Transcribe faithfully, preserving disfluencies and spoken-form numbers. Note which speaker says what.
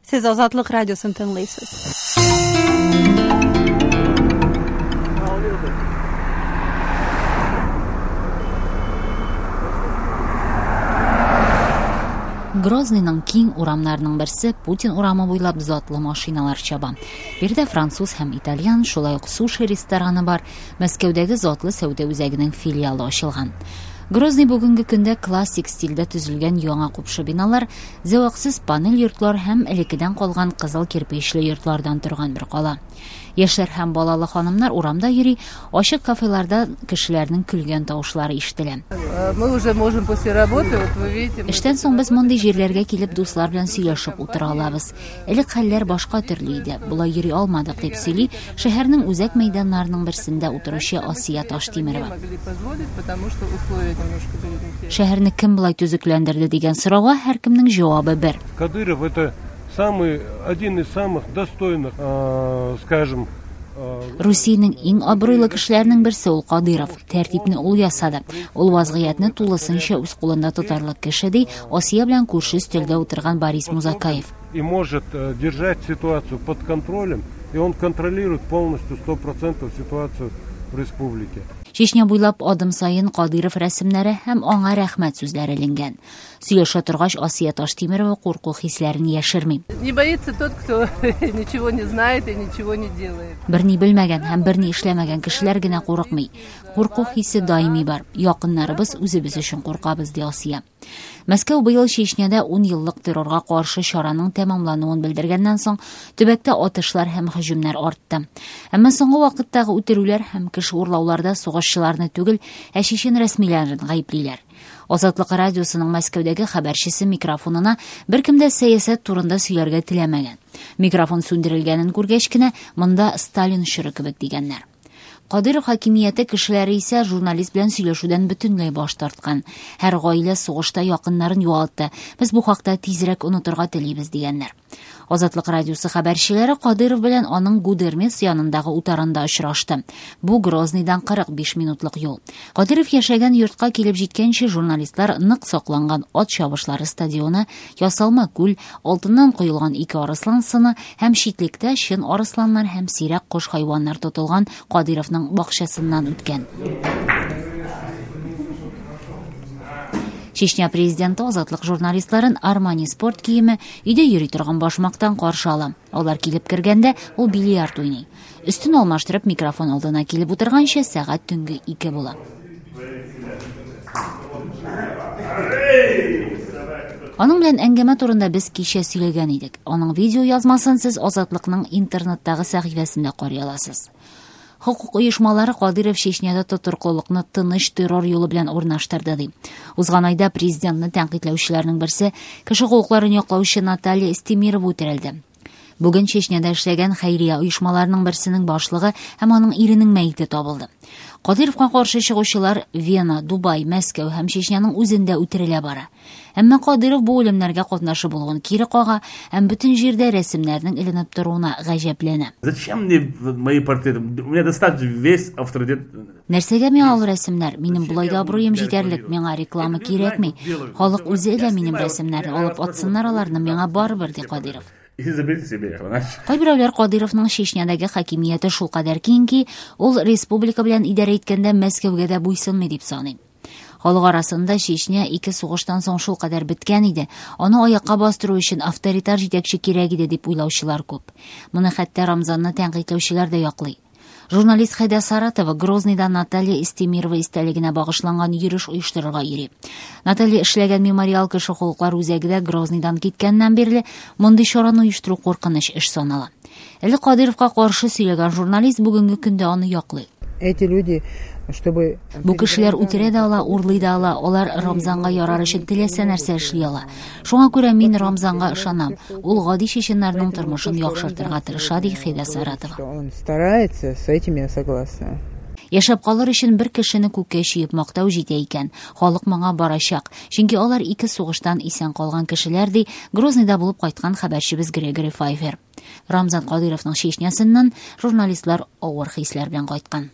Speaker 1: Сез Азатлык радиосын тыңлыйсыз.
Speaker 2: Грозныйның киң урамнарының берсе Путин урамы буйлап затлы машиналар чаба. Биредә француз һәм итальян, шулай ук суши рестораны бар. Мәскәүдәге затлы сәүдә үзәгенең филиалы ачылган. Грозный бүгенге көндә классик стильдә төзелгән яңа купшы биналар, зәвыксыз панель йортлар һәм элеккедән калган кызыл кирпечле йортлардан торган бер кала. Яшьләр һәм балалы ханымнар урамда йөри, ачык кафеларда кешеләрнең көлгән тавышлары ишетелә.
Speaker 3: Мы уже можем после работы, вот вы видите.
Speaker 2: Эштән соң без мондый җирләргә килеп дуслар белән сөйләшеп утыра алабыз. Элек хәлләр башка төрле иде. Болай йөри алмадык, дип сөйли шәһәрнең үзәк мәйданнарының берсендә утыручы Асия Таштимирова. Шәһәрне кем болай төзекләндерде дигән сорауга һәркемнең җавабы бер.
Speaker 4: Кадыров это самый один из самых достойных, скажем,
Speaker 2: Русиянең иң абруйлы кешеләренең берсе ул Кадыров. Тәртипне ул ясады. Ул вазгыятьне тулысынча үз кулында тотарлык кеше, ди Асия белән күрше өстәлдә утырган Борис Музакаев.
Speaker 4: И может держать ситуацию под контролем, и он контролирует полностью сто процентов ситуацию в республике.
Speaker 2: Чечня буйлап адым саен Кадыров рәсемнәре һәм аңа рәхмәт сүзләре эленгән. Сөйләшә торгач, Асия Таштимирова курку хисләрен яшерми.
Speaker 3: Не боится тот, кто ничего не знает и ничего не делает.
Speaker 2: Берни белмәгән һәм берни эшләмәгән кешеләр генә курыкмый. Курку хисе даими бар. Якыннарыбыз үзебез өчен куркабыз, ди Асия. Мәскәү быел Чечняда ун еллык террорга каршы чараның тәмамлануын белдергәннән соң төбәктә атышлар һәм һөҗүмнәр артты. Әмма соңгы вакыттагы үтерүләр һәм кеше урлауларда сугышчыларны түгел, ә чечен рәсмиләрен гаеплиләр. Азатлык радиосының Мәскәүдәге хәбәрчесе микрофонына беркем дә сәясәт турында сөйләргә теләмәгән. Микрофон сүндерелгәнен күргәч кенә монда Сталин чоры кебек дигәннәр. Кадыров хакимияте кешеләре исә журналист белән сөйләшүдән бөтенләй баш тарткан. Һәр гаилә сугышта якыннарын югалтты. Без бу хакта тизрәк онытырга телибез дигәннәр. Азатлык радиосы хәбәрчеләре Кадыров белән аның Гудермес янындагы утарында очрашты. Бу Грозныйдан кырык биш минутлык юл. Кадыров яшәгән йортка килеп җиткәнче журналистлар нык сакланган ат чабышлары стадионы, ясалма күл, алтыннан коелган ике арыслан сыны һәм читлектә чын арысланнар һәм сирәк кош хайваннар тотылган Кадыровның бакчасыннан үткән. Чечня президенты Азатлык журналистларын Армани спорт киеме, өйдә йөри торган башмактан каршы ала. Алар килеп кергәндә ул бильярд уйный. Өстен алмаштырып микрофон алдына килеп утырганча сәгать төнге ике була. Аның белән әңгәмә турында без кичә сөйләгән идек. Аның видео язмасын сез Азатлыкның интернеттагы сәхифәсендә карый аласыз. Хукук оешмалары Кадыров Чечняда тотрыклылыкны тыныч террор юлы белән урнаштырды, ди. Узган айда президентны тәнкыйтьләүчеләрнең берсе кеше хокукларын яклаучы Наталья Эстемирова үтерелде. Бүген Чечняда эшләгән хәйрия оешмаларының берсенең башлыгы һәм аның иренең мәете табылды. Кадыровка каршы чыгучылар Вена, Дубай, Мәскәү һәм Чечняның үзендә үтерелә бара. Әмма Кадыров бу үлемнәргә катнашы булуын кире кага һәм бөтен җирдә рәсемнәрнең эленеп торуына гаҗәпләнә.
Speaker 5: Зачем мне мои портреты? У меня достаточно весь авторитет.
Speaker 2: Нәрсәгә миңа ул рәсемнәр? Минем болай да абруем җитәрлек, миңа реклама кирәкми. Халык үзе элә минем рәсемнәрне, алып атсыннар аларны, миңа барыбер, ди Кадыров. Кайберәүләр Кадыровның Чечнядагы хакимияте шулкадәр киң ки, ул республика белән идарә иткәндә Мәскәүгә дә буйсынмый дип саный. Халык арасында Чечня ике сугыштан соң шулкадәр беткән иде, аны аякка бастыру өчен авторитар җитәкче кирәк иде дип уйлаучылар күп. Моны хәтта Рамзанны тәнкыйтьләүчеләр дә яклый. Журналист Хәйдә Саратова Грозныйда Наталья Эстемирова истәлегенә багышланган йөреш оештырырга йөри. Наталья эшләгән мемориал кеше хокуклар үзәге дә Грозныйдан киткәннән бирле мондый чараны оештыру куркыныч эш санала. Әле Кадыровка каршы сөйләгән журналист бүгенге көндә аны яклый.
Speaker 6: Эти люди, чтобы
Speaker 2: Бу кешеләр үтерә дә ала, урлый да ала, алар Рамзанга ярар өчен теләсә нәрсә эшли ала. Шуңа күрә мин Рамзанга ышанам. Ул гади чеченнарның тормышын яхшыртырга тырыша, ди Хәйдә Саратова.
Speaker 6: Он старается, с этим я согласна.
Speaker 2: Яшәп калыр өчен бер кешене күккә чөеп мактау җитә икән. Халык моңа барачак. Чөнки алар ике сугыштан исән калган кешеләр, ди Грозныйда булып кайткан хәбәрчебез Грегори Файфер. Рамзан Кадыровның Чечнясыннан журналистлар авыр хисләр белән кайткан.